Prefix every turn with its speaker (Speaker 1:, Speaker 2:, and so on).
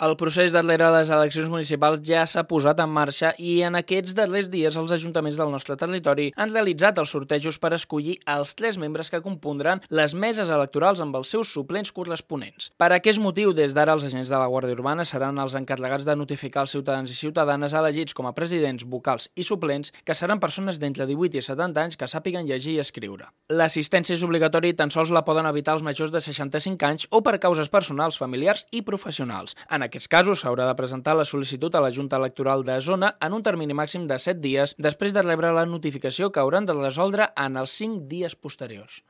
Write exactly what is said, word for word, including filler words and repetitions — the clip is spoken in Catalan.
Speaker 1: El procés darrere les eleccions municipals ja s'ha posat en marxa i en aquests darrers dies els ajuntaments del nostre territori han realitzat els sortejos per escollir els tres membres que compondran les meses electorals amb els seus suplents corresponents. Per aquest motiu, des d'ara els agents de la Guàrdia Urbana seran els encarregats de notificar als ciutadans i ciutadanes elegits com a presidents, vocals i suplents que seran persones d'entre divuit i setanta anys que sàpiguen llegir i escriure. L'assistència és obligatòria i tan sols la poden evitar els majors de seixanta-cinc anys o per causes personals, familiars i professionals. En En aquests casos, s'haurà de presentar la sol·licitud a la Junta Electoral de Zona en un termini màxim de set dies després de rebre la notificació que hauran de resoldre en els cinc dies posteriors.